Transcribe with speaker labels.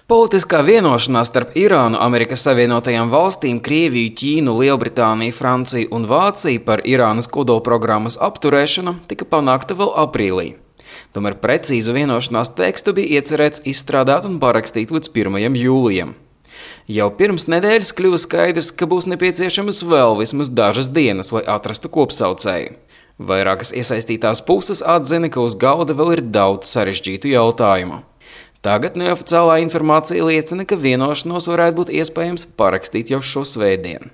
Speaker 1: Politiskā vienošanās starp Irānu, Amerikas Savienotajām valstīm, Krieviju, Ķīnu, Lielbritāniju, Franciju un Vāciju par Irānas kodolprogrammas apturēšanu tika panākta vēl aprīlī. Tomēr precīzu vienošanās tekstu bija iecerēts izstrādāt un parakstīt līdz 1. jūlijam. Jau pirms nedēļas kļuva skaidrs, ka būs nepieciešamas vēl vismaz dažas dienas, lai atrastu kopsaucēju. Vairākas iesaistītās puses atzina, ka uz galda vēl ir daudz sarežģītu jautājumu. Tagad neoficiālā informācija liecina, ka vienošanos varētu būt iespējams parakstīt jau šo svētdienu.